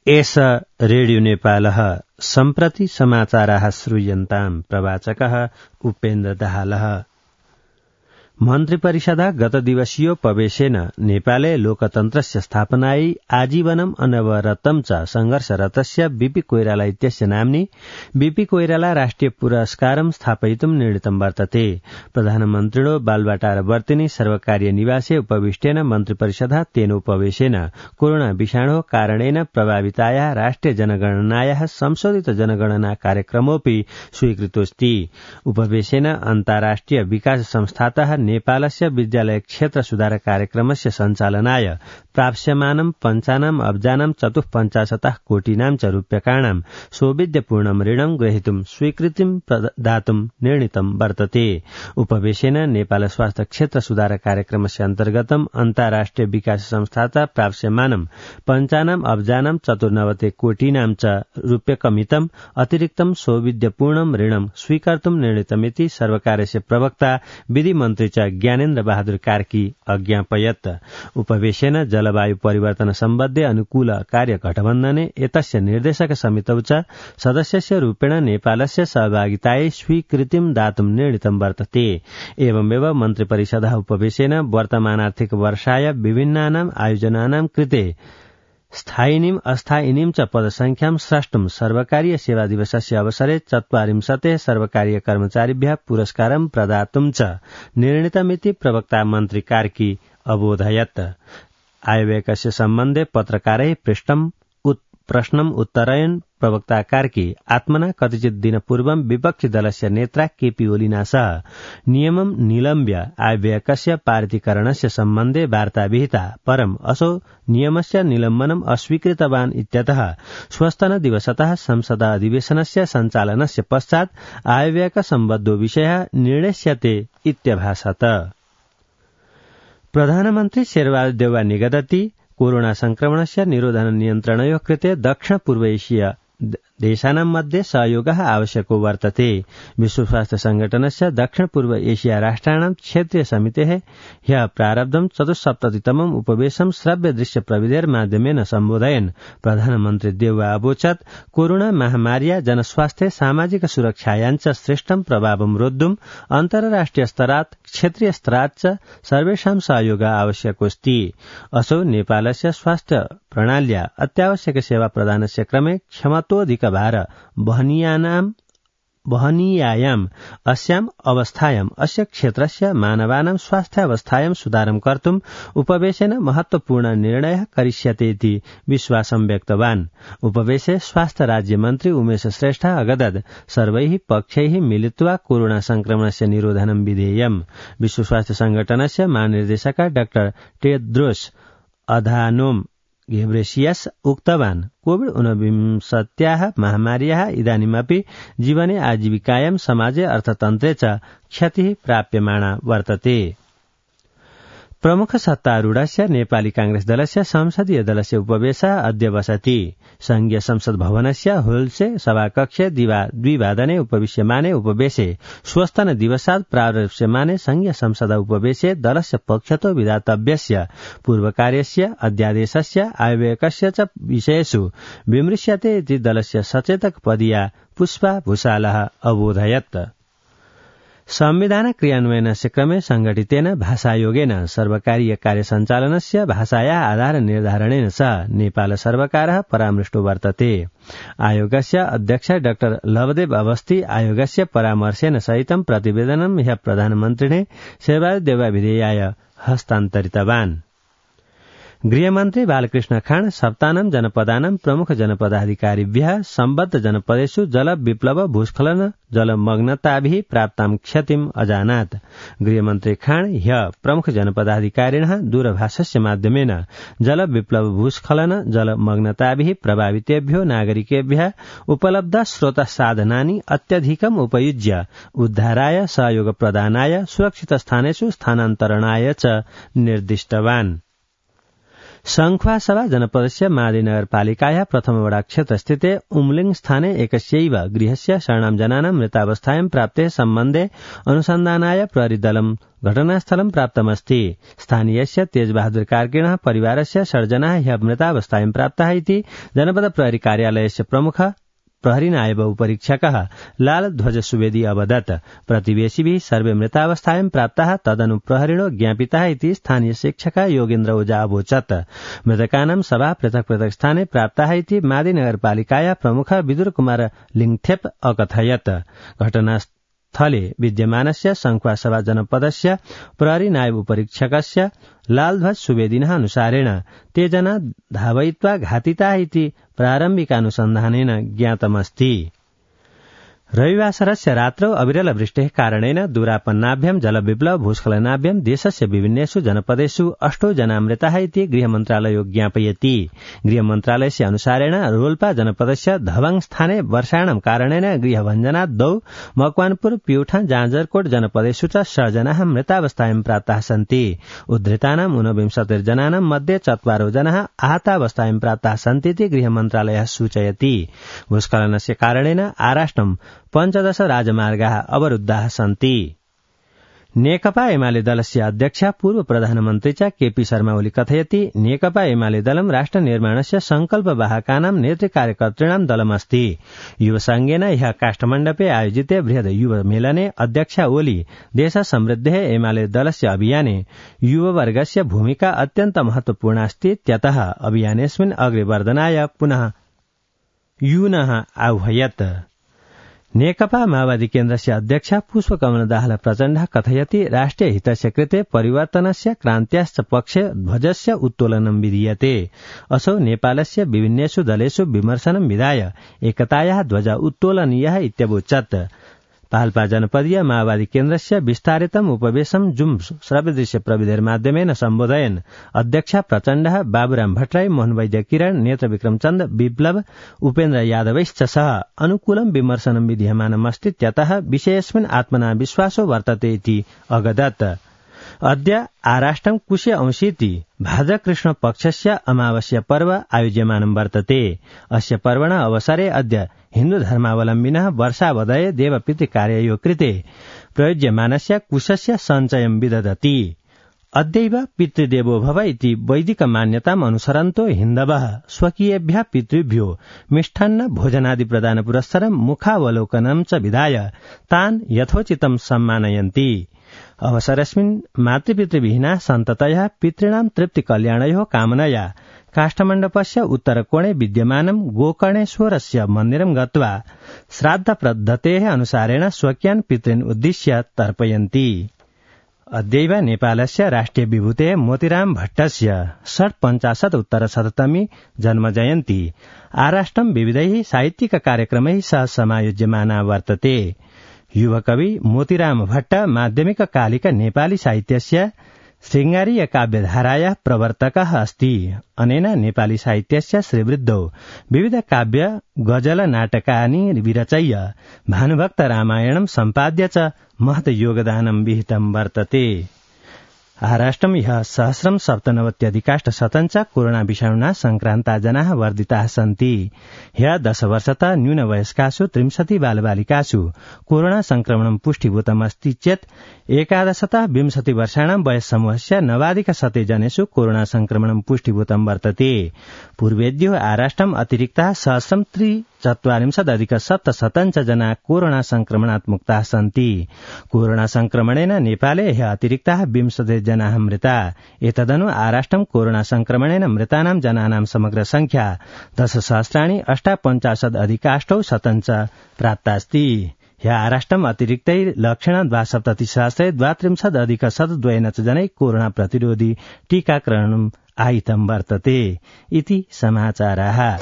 एष रेडियो नेपालः सम्प्रति समाचाराः श्रूयन्ताम् प्रवाचकः उपेन्द्र दाहालः। मन्त्रिपरिषदा गतदिवसीयोपवेशेन नेपाले लोकतन्त्रस्य स्थापनायै आजीवनम् अनवरतं च संघर्षरतस्य बीपी कोइराला इत्यस्य नाम्नि बीपी कोइराला राष्ट्रिय पुरस्कारं स्थापयितुं निर्णीतं वर्तते। प्रधानमन्त्रिणो बालवाटारवर्तिनि सर्वकारीय निवासे उपविष्टेन मन्त्रिपरिषदा तेनोपवेशेन कोरोना विषाणोः कारणेन प्रभावितायाः राष्ट्रिय जनगणनायाः संशोधित जनगणना कार्यक्रमोऽपि स्वीकृतोऽस्ति। उपवेशेन अन्ताराष्ट्रिय विकास संस्थातः नेपालस्य विद्यालय क्षेत्र सुधार कार्यक्रमस्य सञ्चालनाय प्राप्स्यमानं 95 अब्जानां 54 कोटिनां च रूप्यकाणां सौविध्यपूर्णं ऋणं ग्रहीतुं स्वीकृतिं प्रदातुं निर्णीतं वर्तते। उपवेशेन नेपाल स्वास्थ्य क्षेत्र सुधार कार्यक्रमस्य अन्तर्गतम् अन्ताराष्ट्रिय विकास संस्थाता प्राप्स्यमानं 95 अब्जानां 94 कोटिनां च रूप्यकमितं अतिरिक्तं सौविध्यपूर्णं ऋणं स्वीकर्तुं निर्णीतमिति सर्वकारस्य प्रवक्ता विधि मन्त्री ज्ञानेन्द्र बहादुर कार्की अज्ञापयत्। उपवेशेन जलवायु परिवर्तन सम्बद्धे अनुकूल कार्य गठबन्धने एतस्य निर्देशक समितौ च सदस्यस्य रूपेण नेपालस्य सहभागितायै स्वीकृतिं दातुं निर्णीतं वर्तते। एवमेव मन्त्रिपरिषदः उपवेशेन वर्तमानार्थिक वर्षाय विभिन्नानाम् आयोजनानां कृते स्थायिनीम् अस्थायिनीं च पदसंख्यां स्रष्टुं सर्वकारीय सेवा दिवसस्य अवसरे 40 सर्वकारीय कर्मचारिभ्यः पुरस्कारं प्रदातुं च निर्णीतमिति प्रवक्ता मन्त्री कार्की अबोधयत्। आयव्ययस्य सम्बन्धे पत्रकारैः प्रश्नम् उत्तरयन् प्रवक्ता कार्की आत्मना कतिचित् दिनपूर्वं विपक्षी दलस्य नेत्रा केपी ओलिना सह नियमं निलम्ब्य आयव्ययस्य पारितीकरणस्य सम्बन्धे वार्ता विहिता, परम् असौ नियमस्य निलम्बनम् अस्वीकृतवान् इत्यतः श्वस्तन दिवसतः संसद अधिवेशनस्य सञ्चालनस्य पश्चात् आयव्यय सम्बद्धो विषयः निर्णेष्यते इत्यभासत। प्रधानमन्त्री शेरबहादुर देउवा निगदति कोरोना संक्रमणस्य निरोधन नियन्त्रणयोः कृते दक्षिण पूर्व एशिया देशानां मध्ये सहयोगः आवश्यको वर्तते। विश्व स्वास्थ्य संगठनस्य दक्षिण पूर्व एशिया राष्ट्राणां क्षेत्रीय समितेः ह्यः प्रारब्धं 74तमम् उपवेशनं श्रव्य दृश्य प्रविधेर माध्यमेन सम्बोधयन् प्रधानमन्त्री देउवा अवोचत् कोरोना महामार्या जनस्वास्थ्ये सामाजिक सुरक्षायाञ्च श्रेष्ठं प्रभावं रोद्धुम् अन्तर्राष्ट्रिय स्तरात् क्षेत्रीय स्तरात् च सर्वेषां सहयोगः आवश्यकोऽस्ति। असौ नेपालस्य स्वास्थ्य प्रणाल्या अत्यावश्यक सेवा प्रदानस्य क्रमे क्षमतोऽधिक भार वहनीयायाम् अस्याम् अवस्थायाम् अस्य क्षेत्रस्य मानवानां स्वास्थ्यावस्थायां सुधारं कर्तुम् उपवेशेन महत्वपूर्ण निर्णयः करिष्यते इति विश्वासं व्यक्तवान्। उपवेशे स्वास्थ्य राज्यमन्त्री उमेश श्रेष्ठ अगदत् सर्वैः पक्षैः मिलित्वा कोरोना संक्रमणस्य निरोधनं विधेयम्। विश्व स्वास्थ्य संगठनस्य महानिर्देशक डाक्टर टेड्रोस अधानोम घेब्रेसियस उक्तवान् कोविड-19 महामार्याः इदानीमपि जीवने आजीविकायां समाजे अर्थतन्त्रे च क्षतिः प्राप्यमाणा वर्तते। प्रमुख सत्तारूढस्य नेपाली कांग्रेस दलस्य संसदीय दलस्य उपवेशः अद्य बसति। संघीय संसद भवनस्य होल्से सभाकक्षे द्विवादने उपविश्यमाने उपवेशे श्वस्तन दिवसात् प्रारप्स्यमाने संघीय संसद उपवेशे दलस्य पक्षतो विधातव्यस्य पूर्वकार्यस्य अध्यादेशस्य आयव्ययस्य च विषयेषु विमृश्यते इति दलस्य सचेतक पदीया पुष्पा भूषालः अबोधयत्। संविधान क्रियान्वयनस्य क्रमे संघटितेन भाषायोगेन सर्वकारीय कार्यसञ्चालनस्य भाषाया आधार निर्धारणेन सह नेपाल सर्वकारः परामृष्टो वर्तते। आयोगस्य अध्यक्ष डाक्टर लवदेव अवस्थी आयोगस्य परामर्शेन सहितं प्रतिवेदनं ह्यः प्रधानमन्त्रिणे शेरबहादुर देउवा विधेयाय हस्तान्तरितवान्। गृहमन्त्री बालकृष्ण खान सप्तानं जनपदानां प्रमुख जनपदाधिकारिभ्यः सम्बद्ध जनपदेषु जल विप्लव भूस्खलन जलमग्नताभिः प्राप्तां क्षतिम् अजानात्। गृहमन्त्री खान ह्यः प्रमुख जनपदाधिकारिणः दूरभाषस्य माध्यमेन जल विप्लव भूस्खलन जलमग्नताभिः प्रभावितेभ्यो नागरिकेभ्यः उपलब्ध स्रोत साधनानि अत्यधिकम् उपयुज्य उद्धाराय सहयोग प्रदानाय सुरक्षित स्थानेषु स्थानान्तरणाय च निर्दिष्टवान्। संख्वासभा जनपदस्य मादिनगरपालिकायाः प्रथमवडाक्षेत्रस्थिते उम्लिङ स्थाने एकस्यैव गृहस्य शरणां जनानां मृतावस्थायां प्राप्ते सम्बन्धे अनुसन्धानाय प्रहरीदलं घटनास्थलं प्राप्तमस्ति। स्थानीयस्य तेजबहादुर कार्किणः परिवारस्य 6 जनाः ह्यः मृतावस्थायां प्राप्ताः इति जनपद प्रहरी कार्यालयस्य प्रमुख प्रहरी नायब उपरीक्षकः लालध्वज सुवेदी अवदत्। प्रतिवेशिभिः सर्वे मृतावस्थायां प्राप्ताः तदनु प्रहरिणो ज्ञापिताः इति स्थानीय शिक्षकः योगेन्द्र ओझा अवोचत्। मृतकानां शवाः पृथक् पृथक् स्थाने प्राप्ताः इति मादी नगरपालिकायाः प्रमुख विदुर कुमार लिङथेप अकथयत्। घटनास्थले विद्यमानस्य संख्वासभा जनपदस्य प्रहरी नायब उपरीक्षकस्य लालध्वज सुवेदिनः अनुसारेण ते जना धावयित्वा घातिताः इति प्रारम्भिकानुसन्धानेन ज्ञातमस्ति। रविवासरस्य रात्रौ अविरलवृष्टेः कारणेन दूरापन्नाभ्यां जलविप्लव भूस्खलनाभ्यां देशस्य विभिन्नेषु जनपदेषु 8 जना मृताः इति गृहमन्त्रालयो ज्ञापयति। गृहमन्त्रालयस्य अनुसारेण रोल्पा जनपदस्य धवङ स्थाने वर्षाणां कारणेन गृहभञ्जनाद् 2, मकवानपुर, प्युठा, जाजरकोट जनपदेषु च 6 जनाः मृतावस्थायां प्राप्ताः सन्ति। उद्धृतानां 29 जनानां मध्ये 4 जनाः आहतावस्थायां प्राप्ताः सन्ति इति गृहमन्त्रालयः सूचयति। भूस्खलनस्य कारणेन आराष्ट्रं 15 राजमार्गाः अवरुद्धाः सन्ति। नेकपा एमाले दलस्य अध्यक्ष पूर्व प्रधानमन्त्री च केपी शर्मा ओली कथयति नेकपा एमाले दलं राष्ट्र निर्माणस्य संकल्पवाहकानां नेतृकार्यकर्तॄणां दलमस्ति। युवसंघेन ह्यः काष्ठमण्डपे आयोजिते बृहद् युव मेलने अध्यक्ष ओली देश समृद्धेः एमाले दलस्य अभियाने युववर्गस्य भूमिका अत्यन्त महत्वपूर्णा अस्ति इत्यतः अभियानेऽस्मिन् अग्रे वर्धनाय पुनः यूनः आह्वयत्। नेकपा माओवादी केन्द्रस्य अध्यक्ष पुष्पकमल दाहाल प्रचण्डः कथयति राष्ट्रिय हितस्य कृते परिवर्तनस्य क्रान्त्याश्च पक्षे ध्वजस्य उत्तोलनं विधीयते। असौ नेपालस्य विभिन्नेषु दलेषु विमर्शनं विधाय एकतायाः ध्वज उत्तोलनीयः इत्यवोचत्। पाल्पा जनपदीय माओवादी केन्द्रस्य विस्तारितम् उपवेशं जुम श्रव्यदृश्य प्रविधिर्माध्यमेन सम्बोधयन् अध्यक्ष प्रचण्डः बाबुराम भट्टराई, मोहन वैद्य किरण, नेत्र विक्रमचन्द, विप्लव, उपेन्द्र यादवैश्च सह अनुकूलं विमर्शनं विधीयमानमस्ति इत्यतः विषयेऽस्मिन् आत्मना विश्वासो वर्तते इति अगदत्। अद्य आराष्ट्रं कुशे अंशीति भाद्रकृष्ण पक्षस्य अमावास्या पर्व आयोज्यमानं वर्तते। अस्य पर्वणः अवसरे अद्य हिन्दू धर्मावलम्बिनः वर्षावधये देवपितृकार्ययोः कृते प्रयुज्यमानस्य कुशस्य सञ्चयं विदधति। अद्यैव पितृदेवो भव इति वैदिक मान्यताम् अनुसरन्तो हिन्दवः स्वकीयेभ्यः पितृभ्यो मिष्टान्न भोजनादि प्रदान पुरस्सरं मुखावलोकनं च विधाय तान् यथोचितं सम्मानयन्ति। अवसरेऽस्मिन् मातृपितृविहीनाः सन्ततयः पितॄणां तृप्तिकल्याणयोः कामनया काष्ठमण्डपस्य उत्तरकोणे विद्यमानं गोकर्णेश्वरस्य मन्दिरं गत्वा श्राद्धपद्धतेः अनुसारेण स्वकीयान् पितॄन् उद्दिश्य तर्पयन्ति। अद्यैव नेपालस्य राष्ट्रिय विभूतेः मोतीराम भट्टस्य 55-उत्तरशततमी जन्मजयन्ती आराष्ट्रं विविधैः साहित्यिक कार्यक्रमैः सह समायोज्यमाना वर्तते। युवकवि मोतीराम भट्ट माध्यमिककालिक नेपाली साहित्यस्य शृङ्गारीय काव्यधारायाः प्रवर्तकः अस्ति। अनेन नेपाली साहित्यस्य श्रीवृद्धौ विविध काव्य गजल नाटकानि विरचय्य भानुभक्त रामायणं सम्पाद्य च महत् योगदानं विहितं वर्तते। आराष्ट्रं ह्यः 197,000 कोरोना विषाणुना संक्रान्ता जनाः वर्धिताः सन्ति। ह्यः 10 वर्षतः न्यूनवयस्कासु 30 बालबालिकासु कोरोना संक्रमणं पुष्टिभूतमस्ति चेत् 11-20 वर्षाणां वयस्समूहस्य 9,100 जनेषु कोरोना संक्रमणं पुष्टिभूतं वर्तते। पूर्वेद्यो आराष्ट्रम् अतिरिक्ताः 1,043,700 जना कोरोना संक्रमणात् मुक्ताः सन्ति। कोरोना संक्रमणेन नेपाले ह्यः अतिरिक्ताः 20 जनाः मृता। एतदनु आराष्ट्रं कोरोना संक्रमणेन मृतानां जनानां समग्र संख्या 10,58,850 च प्राप्तास्ति। ह्यः आराष्ट्रम् अतिरिक्तै लक्षण 72,032,102 जनै कोरोना प्रतिरोधी टीकाकरणम् आहितं वर्तते इति समाचाराः।